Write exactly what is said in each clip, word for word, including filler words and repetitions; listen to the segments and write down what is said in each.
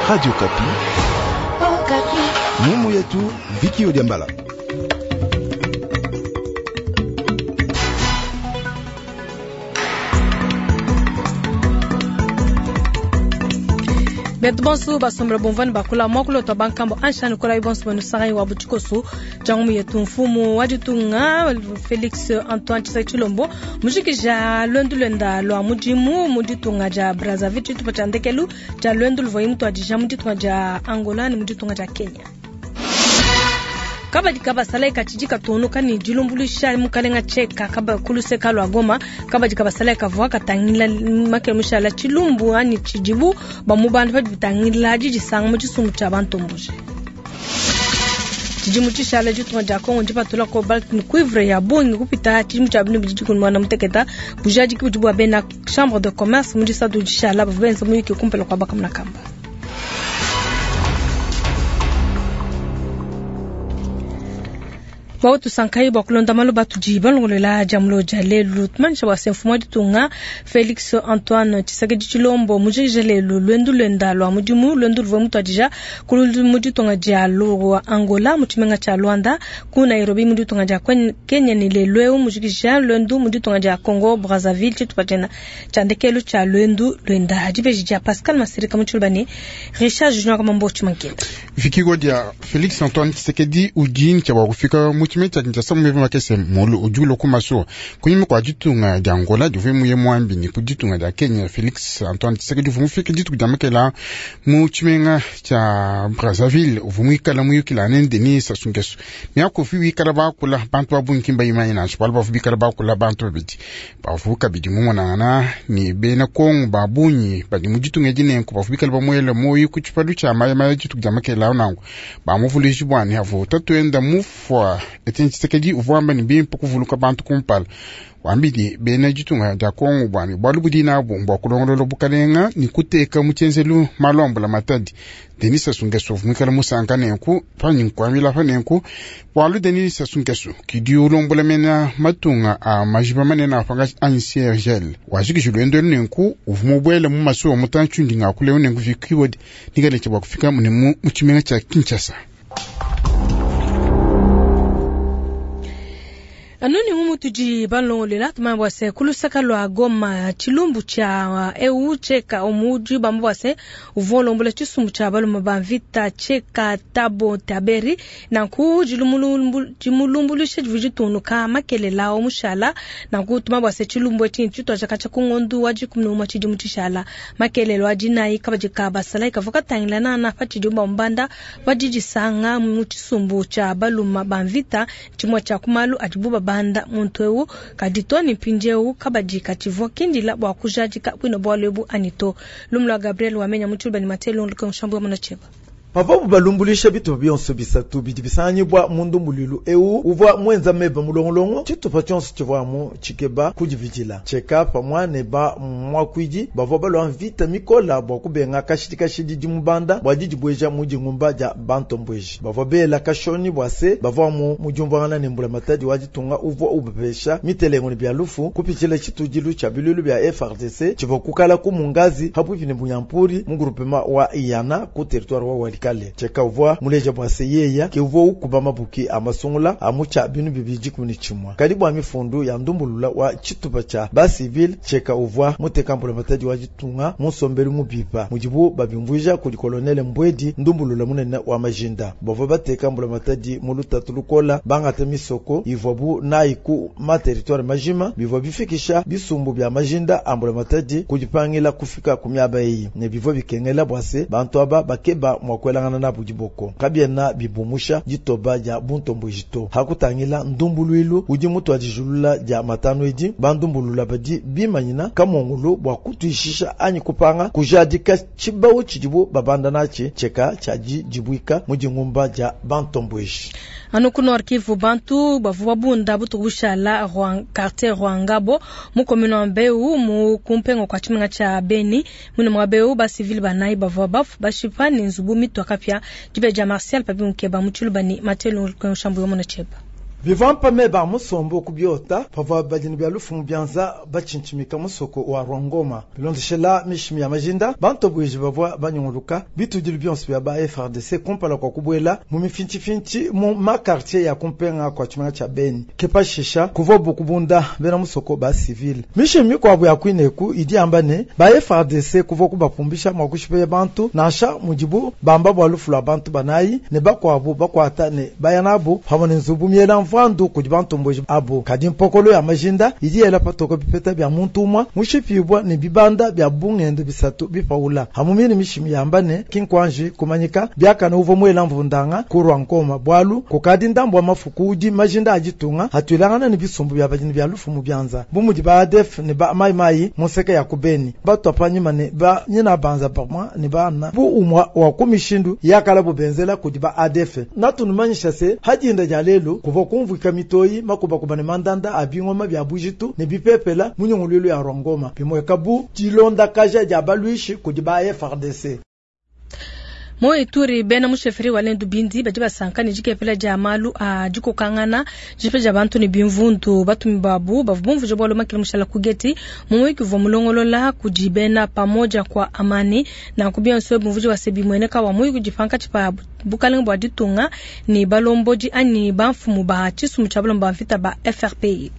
Radio Kapi. Oh, Kapi. Mumu yetu Viki Odiambala. Betu bonso basombela bomvani bakula mwakulo twa bankambo anshani kola bonso banu wa butikoso jangu yetu mfumu wa ditunga Felix Antoine Tshisekedi Tshilombo mujikija lwendu lwenda lwa mudimu mu ditunga dia Brazzaville tshitupa tshia ndekelu tshia lwendu luvua mutuadija mu ditunga dia Angola ne mu ditunga dia Kenya. Kabadi kabasala katshidi katunuka ne dilumbuluisha mukalenga tsheka kaba kuluseka lwa Goma. Kabadi kabasala kavua katangila makele mushala tshilumbu ani tshidibu bamubanda badi bitangila didisanga mu tshisumbu tshia bantomboje. Tshidimu tshishala ditunga dia Kongo ndipatula cobalt ne cuivre ya bungi kupita tshidimu tshia binu bidi dikumi muanda muteketa bujadiki budi bua bena chambre de commerce mu disatu dishala bavua benza muyuki kumpala kua bakamuna kamba. Bautu sankai bwa kulonda malo batu balongolela jamulo ja lelu tumanisha bwa se mfumu wa ditunga Felix Antoine Tshisekedi Tshilombo mujikija lelu lwendu lwenda lwa mudimu lwendu luvua mutuadija kulu mu ditunga dia lwa Angola mu tshimenga tshia Luanda ku Nairobi mu ditunga dia Kenya ne lelu eu mujikija lwendu mu ditunga dia Congo Brazzaville tshitupa tshiena tshia ndekelu tshia lwendu lwenda dibeji dia Pascal Masirika mu tshiluba ne Richard Junior Kamambo Tshimankenda. Vikigo dia Felix Antoine Tshisekedi udi tshia bua kufika mu tshimenga tshia Kinshasa mu meba makese mulu udi ulua ku masuwa kunyima kua ditunga dia Angola divua muye muambi ne ku ditunga dia Kenya. Felix Antoine Tshisekedi uvua mufike dituku dia makela mu tshimenga tshia Brazzaville uvua muikala muyukila ne Denis Sassou Nguesso. Miaku wikala bakula bantu ba bungi kimba imanye nansha bualu bavua bikala bakula bantu babidi bavua kabidi mumonangana ne bena Kongo ba bungi badi mu ditunga edi nenku bavua bikala bamuela moyo ku tshipalu tshia mayamaya dituku dia makela nangu bamuvuluiji bua ne avua tatuenda mufua Etienne Tshisekedi uvua wamba ne bimpe kuvuluka bantu kumpala wambidi bena ditunga dia Kongo bua ne bualu budi nabu mbua kulongolola bukalenga ne kuteka mu tshienzelu malu a mbulamatadi. Denis Sassou Nguesso uvua muikala musanka nenku panyi nkuambila pa nenku bualu Denis Sassou Nguesso kidi ulombola mena matunga a majiba manene a pangatshi anyi C R G L wajikiji lwendo elu nenku uvua mubuele mu masuwa mutantshi ndi ngakuleu nenku vikiwodi nikale bua kufika mune mu tshimenga tshia Kinshasa. Anuni mumu tudi balongolela tumanya bua se kulusaka lua Goma tshilumbu tshia eu tsheka omudi bambu bua se uvua ulombola tshisumbu tshia balume ba mvita tsheka tabo taberi nanku dimulumbuluisha divua ditunuka makelela omushala nanku tumanya bua se tshilumbu etshi tshituadija katshia ku ngondu wa dikumi ne umue tshidimu tshishala makelelo a dinayi kabadi ka basalayi kavua katangila nana pa tshidimu bamubanda pa didisanga mu tshisumbu tshia balume ba mvita tshimue tshia ku malu adibu banda muntu eu kadito ni mpindieu kabadi katshivua kindila bua kujadika bwino bualu ebu anyi to lumu lua Gabriel wamenya mu tshiluba ne Mathieu Luka nshambu ya munacheba. Pavabu balumbulisha bitupa bionso bisatu bidi bisanganyibwa mu ndumbuluilu eu uvua mwenza meba mulongolongo tshitupa tshionso tshivua mu tshikeba kudividila tsheka pamua ne ba muakuidi bavua balua mvita mikola bua kubenga kashidi kashidi dimubanda bua didibueja mu dingumba dia bantombweji bavua bela kashoni bua se bavua mu mudiumvuangana ne mbulamatadi wa ditunga uvua ubapesha mitelengo ne bia lufu kupitshila tshitudilu tshia bilulu bia F R D C tshivua kukala ku mungazi hapuipi ne Bunyampuri mu groupement wa Iyana ku territoire wa Walikale. Tsheka uvua muleja bua se yeya ke uvua ukuba mabuki a masungula a mu tshia binu bibidi dikumi ne tshimue kadi bua mifundu ya ndumbulula wa tshitupa tshia ba civil tsheka uvua muteka mbulamatadi wa ditunga mu nsombelu mubipa mudibu babimvuija kudi kolonele Mbwedi ndumbulula munene wa majinda bavua bateka mbulamatadi mu lutatu lukola bangata misoko ivuabu nayi ku ma territoire majima bivua bifikisha bisumbu bia majinda a mbulamatadi kudipangila kufika ku miaba eyi ne bivua bikengela bua se bantu aba bakeba mua kuelangana nabu diboko kabiena bibumusha ditoba dia buntombweji to hakutangila ndumbuluilu udi mutuadijulula dia matanu edi bandumbulula badi bimanyina kamongolo bua kutuishisha anyi kupanga kujadika tshibau tshidibu babanda natshi tsheka tshia dibuika mu dingumba dia bantombweji. Anu ku Nord Kivu bantu bavua babunda butuku bushala quartier Rwangabo mu commune wa Mbeu mu kumpengo kwa tshimenga tshia Beni mune mwa Mbeu ba civil banayi bavua bafu bashipa ne nzubu mitwa kapia dibe dia Martial Papi Mukeba mu tshiluba ne Mathieu Lunkoshambu yo mona tsheba. Bivampa meba musombo kubiota pavua badini bya lufumu byanza bachinchimika musoko wa Rwangoma bilondeshela mishimi ya majinda bantu bwiji bavua banyunguluka bitudili byonso bya ba F R D C kumpala kwa kubwela mu mifinchifinchi mu makartier ya kumpenga kwa chimanga cha Beni kepashisha kuvua bukubunda bena musoko ba civil mishimi kwa ya kwineku idi ambane ba F R D C kuvua kubapumbisha mwakushipe bantu nasha mujibu bamba bwa lufu lwa bantu banayi ne bakwabu bakwata ne bayanabu pamwe ne nzubu miela mvandu kudi bantu mboji abo kadi mpokolo ya majinda idi yela patoko bipeta bya muntu umwa mushipibwa ne bibanda bya bungendo bisatu bipaula hamumini mishimi yambane kinkwanji kumanyika byakana uvo mwela mvundanga kurwa nkoma bwalu kukadi ndambo mafuku udi majinda ajitunga hatwilangana ne bisumbu bya bajini bya lufu mu byanza bumudi ba A D F ne ba mai mai museke ya kubeni batu apanyima ne ba nyina banza pamwa ne bana bu umwa wa kumishindu yakala bubenzela kudi ba A D F natunumanyisha se hajinda ja lelu kuva kumvika mitoyi makuba kubane mandanda abingoma bya bujitu ne bipepela munyungululu ya Rwangoma bimweka bu dilonda kaja ja balwishi kudi ba F R D C. Mo ituri bena musheferi wa lendu bindi baji basanka ni jikepela ja malu a jikokangana jipe ja bantu ni bimvundu batumi babu bavumvu jobolo makili mushala kugeti mumwiki vwa mulongolola kujibena pamoja kwa amani na kubia nswe bumvuji wa sebi mweneka wa muyi kujipanka chipa bukalenga bwa ditunga ni balomboji ani banfumu ba chisumu cha balomba mvita ba F R P I.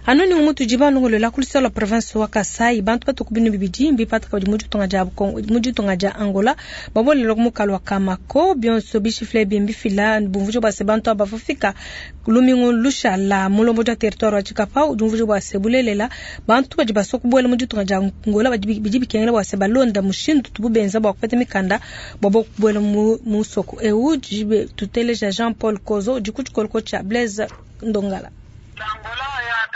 Anoni umutu jiba nongolo kulisa la province wa Kasai bantu batu kubinu bibidi mbipata kabidi mujitunga ja mujitunga ja Angola babole lokmukalo wa Kamako bionso bishifle bimbi fila bumvujo base bantu abafika lumingo lusha la mulombo ja territoire wa Chikapa udumvujo base bulelela bantu baji basoku bwele mujitunga ja Angola baji bidi bikengela base balonda mushindu tububenza bwa kupata mikanda babo bwele musoko eu jibe tuteleja Jean Paul Kozo dikuchikolko cha Blaise Ndongala.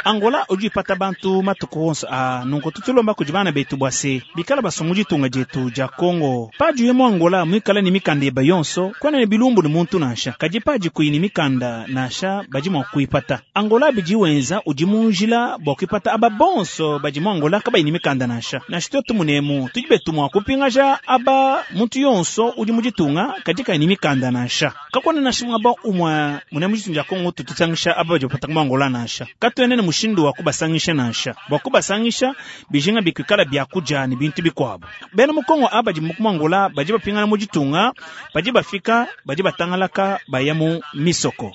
Angola ujipata bantu matuku wonso a nunko tutulomba kujibana betu bwase bikala basomu ditunga jetu ja Kongo paji yemo Angola mwikala ni mikanda eba yonso kwana ne bilumbu ni muntu nasha kaji paji kuini mikanda nasha baji mwa kuipata Angola biji wenza uji munjila bwa kuipata aba bonso baji mwa Angola kaba ini mikanda nasha nasha tutu munemu tujibetu mwa kupingaja aba muntu yonso uji mujitunga kaji ini mikanda nasha kakwana nasha mwaba umwa munemu jitunga ja Kongo tututangisha aba baji kupata mwa Angola nasha katuenene mushindu wa kubasangisha nasha bwa kubasangisha bijinga bikwikala byakuja ni bintu bikwabo bena mukongo abaji mukumangola baji bapingana mujitunga baji bafika baji batangalaka baya mu misoko.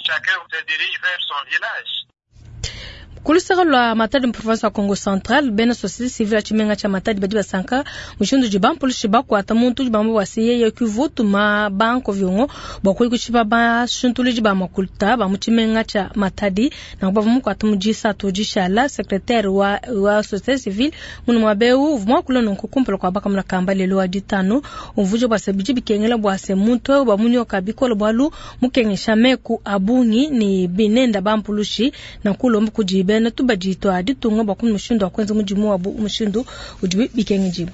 Kulusaka lwa Matadi province ya Congo Central bena société civile chimenga cha Matadi badi basanka mushindu jibampulishi bakwata muntu jibamba wasiye yokivutu ma banko vyongo bwakuyi kushipa ba shuntuli ba makulta ba muchimenga cha Matadi na kubavu mukwata mujisa tojishala secrétaire wa wa société civile munu mwabeu vumwa kula nonko kumpala kwa baka mna lelo wa ditano umvujo bwase biji bikengela bwase muntu ba munyoka bikolo bwalu mukengesha meku abungi ni binenda bampulushi na kulomba kujibe na tubajito aditunga bwa kumushindu akwenza mujimu wa mushindu ujibi bikengejibu.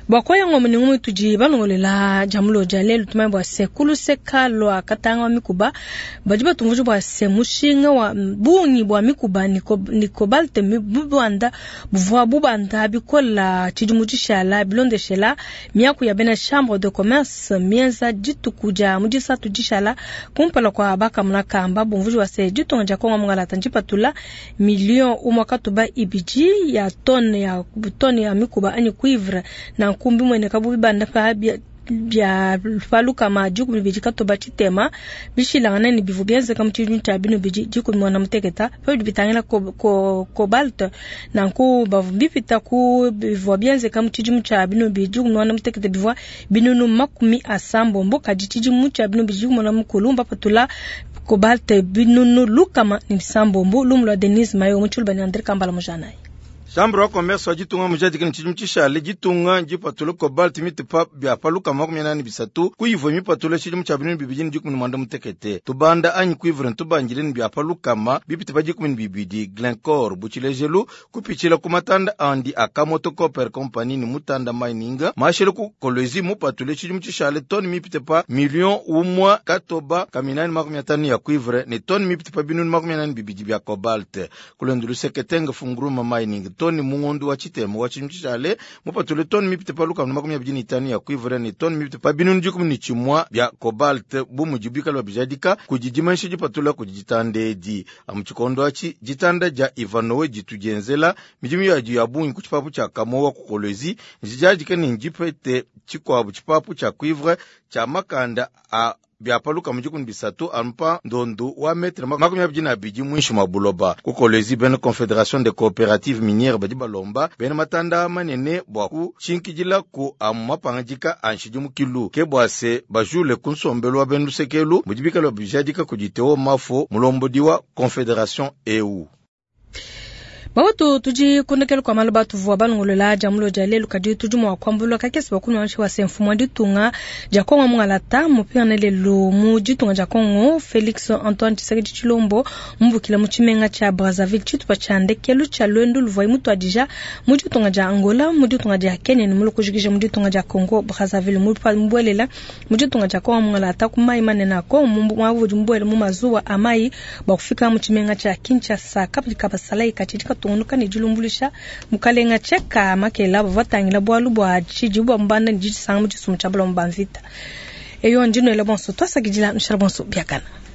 Bwakoya ngombe ni ngumi tuji balongolela jamulo jalelu tumai bwa se kuluseka lwa katanga wa mikuba bajiba tumvuju bwa se mushinga wa bungi bwa mikuba ni kobalte mibanda buvwa bubanda bikola chijimuchishala bilondeshela miaku ya bena chambre de commerce mienza jitukuja mujisa tujishala kumpala kwa baka munakamba bumvuju wa se jitonga jakonga mungalata njipatula million umwakatuba ibiji ya tone ya tone ya mikuba ani cuivre na kumbi mwene kabu banda pa bya bya faluka ma juku biji katoba chitema bishilangana ni bivu byenze kamuchi cha bino biji juku mwana muteketa pa bitangela ko ko cobalt na ku bavu bipita ku bivu byenze kamuchi cha bino biji mwana muteketa bivwa binunu makumi asambo mboka jichiji mucha bino biji mwana mukulumba patula cobalt binunu lukama ni sambombo lumlo Denise Mayo muchulba ni Andre Kambala mujanai. Chambre wa commerce wa jitunga mujadiki ni chijimu chishale jitunga jipatule cobalt mitupa bya paluka makumi anani bisatu kuivo mipatule chijimu cha binunu bibidi ni dikumi ni mwanda mutekete tubanda anyi kuivre ntubangile ni bya palukama bipitipa dikumi ni bibidi Glencore buchilejelu kupichila kumatanda andi Akamoto Copper Company ni mutanda mining mashele ku Kolwezi mupatule chijimu chishale toni mipitipa million umwa katoba kaminani makumi atanu ya cuivre ni toni mipitipa binunu makumi anani bibidi bya cobalt kulendulu seketenge funguruma mining tone mu ngondo wa tshitema wa tshidimu tshishale mupatule tone mipite pa lukama na makumi abidi ne itanu ya cuivre ne tone mipite pa binunu dikumi ne tshimua bia cobalt bu mudi bikale babijadika kudi dimanyisha dipatula kudi ditanda edi. Amu tshikondo atshi ditanda dia Ivanoe ditu dienzela midimu yadi ya bungi ku tshipapu tshia Kamoa ku Kolwezi ndijadike ne ndipete tshikuabu tshipapu tshia cuivre tshia makanda a bia pa lukama dikumi bisatu anu pa ndondu wa metre makumi abidi na abidi muinshi mua buloba. Ku Kolwezi bena Confédération des coopératives minières badi balomba bena matanda manene bua kutshinkidila ku amu mapangadika a nshidimukilu ke bua se bajule ku nsombelu wa bena lusekelu mudi bikale bijadika kudi Theo Mafo mulombodi wa Confédération eu. Bawetu tudi kundekela kwa malu batuvua balongolola dia mulo dia lelu kadi tudi mua kuambulula kakese bakunua wa se mfumu wa ditunga dia Kongo mungalata mupingane lelu mu ditunga dia Kongo Felix Antoine Tshisekedi Tshilombo mubukila mu tshimenga tshia Brazzaville tshitupa tshia ndekelu tshia lwendu luvua mutuadija mu ditunga dia Angola mu ditunga dia Kenya ne mu kujikija mu ditunga dia Congo Brazzaville mubuelela mu ditunga dia Kongo mungalata ku mayi manene a Kongo mwavudi mubuele mu mazuwa a mayi bua kufika mu tshimenga tshia Kinshasa kapidi kabasalayi katshidi katungunuka ne dilumbulusha mukalenga tsheka makela bavatangila bualu bua tshidi bua mbanda ne didisanga mu tshisumbu tshia balomba mvita eyo ndinoela bonso twasakidila nushala bonso biakana.